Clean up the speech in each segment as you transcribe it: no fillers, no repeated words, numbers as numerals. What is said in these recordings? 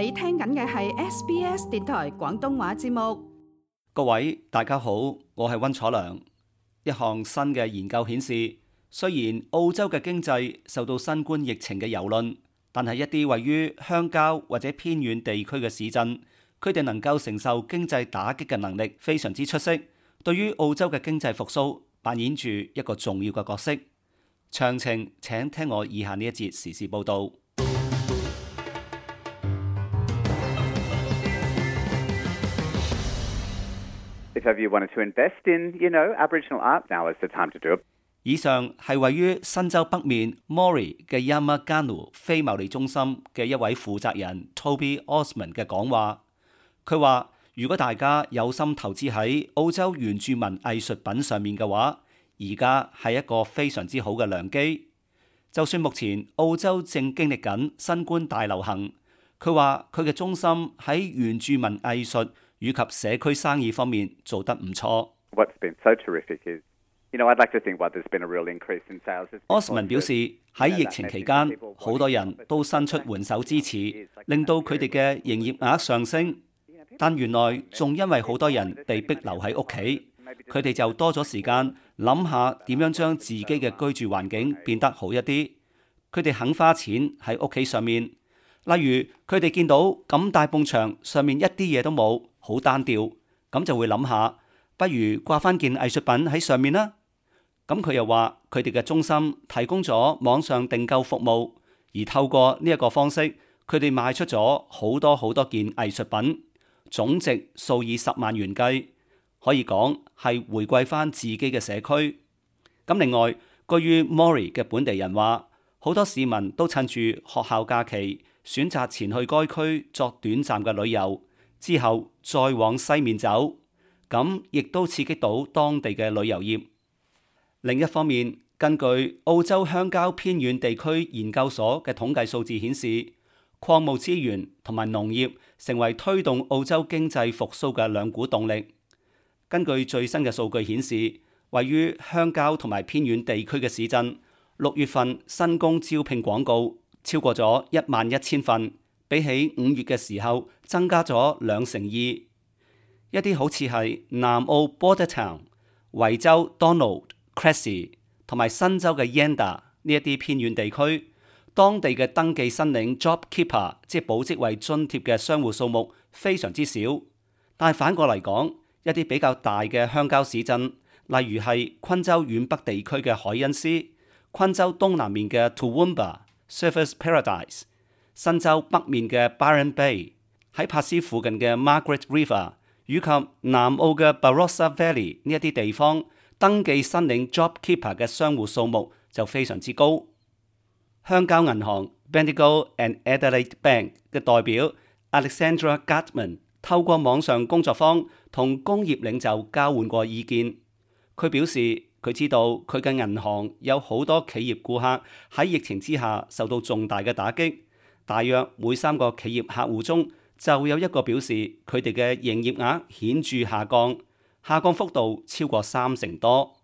你聽緊嘅係 SBS 電台廣東話節目。各位大家好，我係溫楚良。一項新嘅研究顯示，雖然澳洲嘅經濟受到新冠疫情嘅蹂躪，但係一啲位於鄉郊或者偏遠地區嘅市鎮，佢哋能夠承受經濟打擊嘅能力非常之出色，對於澳洲嘅經濟復甦扮演住一個重要嘅角色。詳情請聽我以下呢一節時事報導。If ever you wanted to invest in, Aboriginal art, now is the time to do it. 以上係位於新州北面 Moree 嘅 Yamaganu 非牟利中心嘅一位負責人 Toby Osmond 嘅講話。佢話：如果大家有心投資喺澳洲原住民藝術品上面嘅話，而家係一個非常之好嘅良機。就算目前澳洲正經歷緊新冠大流行，佢話佢嘅中心喺原住民藝術以及社區生意方面做得唔錯。What's been so terrific is, I'd like to think what there's been a real increase in sales. Osman 表示喺疫情期間，好多人都伸出援手支持，令到佢哋嘅營業額上升。但原來仲因為好多人被逼留喺屋企，佢哋就多咗時間諗下點樣將自己嘅居住環境變得好一啲。佢哋肯花錢喺屋企上面，例如佢哋見到咁大埲牆上面一啲嘢都冇，好單調，咁就會諗下，不如掛翻件藝術品喺上面啦。咁佢又話佢哋嘅中心提供咗網上訂購服務，而透過呢一個方式，佢哋賣出咗好多件藝術品，總值數以10萬元計，可以講係回饋翻自己嘅社區。咁另外，居於 Moree 嘅本地人話，好多市民都趁住學校假期選擇前去該區作短暫嘅旅遊，之後再往西面走，咁亦都刺激到當地嘅旅遊業。另一方面，根據澳洲鄉郊偏遠地區研究所嘅統計數字顯示，礦務資源同埋農業成為推動澳洲經濟復甦嘅兩股動力。根據最新嘅數據顯示，位於鄉郊同埋偏遠地區嘅市鎮，6月份新工招聘廣告超過咗11000份，比起5月嘅時候增加咗2成2。一啲好似係南澳 Bordertown、維州 Donald、Cressy 同埋新州嘅 Yenda 呢一啲偏遠地區，當地嘅登記申領 JobKeeper 即係保職位津貼嘅商戶數目非常之少。但係反過嚟講，一啲比較大嘅鄉郊市鎮，例如係昆州遠北地區嘅海恩斯、昆州東南面嘅 Toowoomba、Surfers Paradise、新州北面嘅 Byron Bay、喺珀斯附近嘅 Margaret River 以及南澳嘅 Barossa Valley 呢一啲地方，登記申領 JobKeeper 嘅商戶數目就非常之高。鄉郊銀行 Bendigo and Adelaide Bank 嘅代表 Alexandra Gutman 透過網上工作坊同工業領袖交換過意見。佢表示佢知道佢嘅銀行有好多企業顧客喺疫情之下受到重大嘅打擊，大約每3個企業客戶中就有1個表示佢哋嘅營業額顯著下降幅度超過3成多。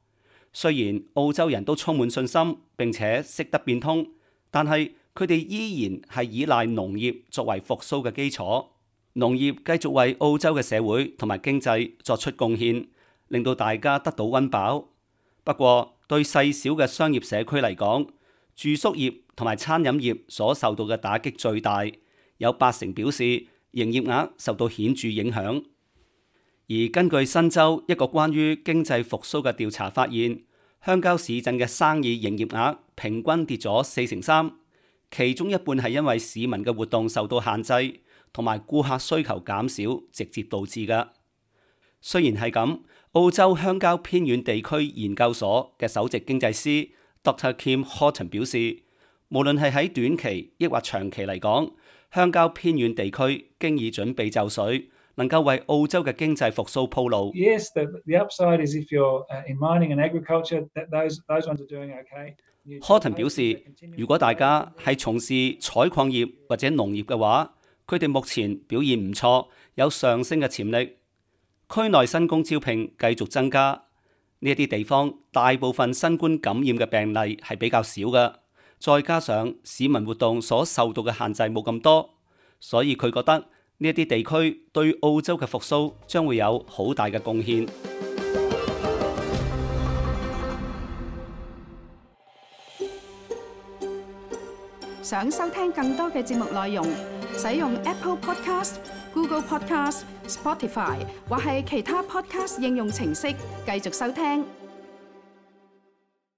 雖然澳洲人都充滿信心並且識得變通，但係佢哋依然係依賴農業作為復甦嘅基礎。農業繼續為澳洲嘅社會同埋經濟作出貢獻，令到大家得到溫飽。不過對細小嘅商業社區嚟講，住宿業同埋餐飲業所受到嘅打擊最大，有8成表示營業額受到顯著影響。而根據新州一個關於經濟復甦嘅調查發現，鄉郊市鎮嘅生意營業額平均跌咗4成3，其中一半係因為市民嘅活動受到限制，同埋顧客需求減少直接導致嘅。雖然係咁，澳洲鄉郊偏遠地區研究所嘅首席經濟師 Dr. Kim Horton 表示，無論係喺短期抑或長期嚟講，鄉郊偏遠地區經已準備就緒，能夠為澳洲嘅經濟復甦鋪路。Yes, the upside is if you're in mining and agriculture, those ones are doing okay. Horton 表示，如果大家係從事採礦業或者農業嘅話，佢哋目前表現唔錯，有上升嘅潛力。區內新工招聘繼續增加，呢一啲地方大部分新冠感染嘅病例係比較少嘅，再加上市民活動所受到嘅限制冇咁多，所以佢覺得呢一啲地區對澳洲嘅復甦將會有好大嘅貢獻。想收聽更多嘅節目內容，使用 Apple Podcast、Google Podcast、Spotify 或係其他 Podcast 應用程式繼續收聽。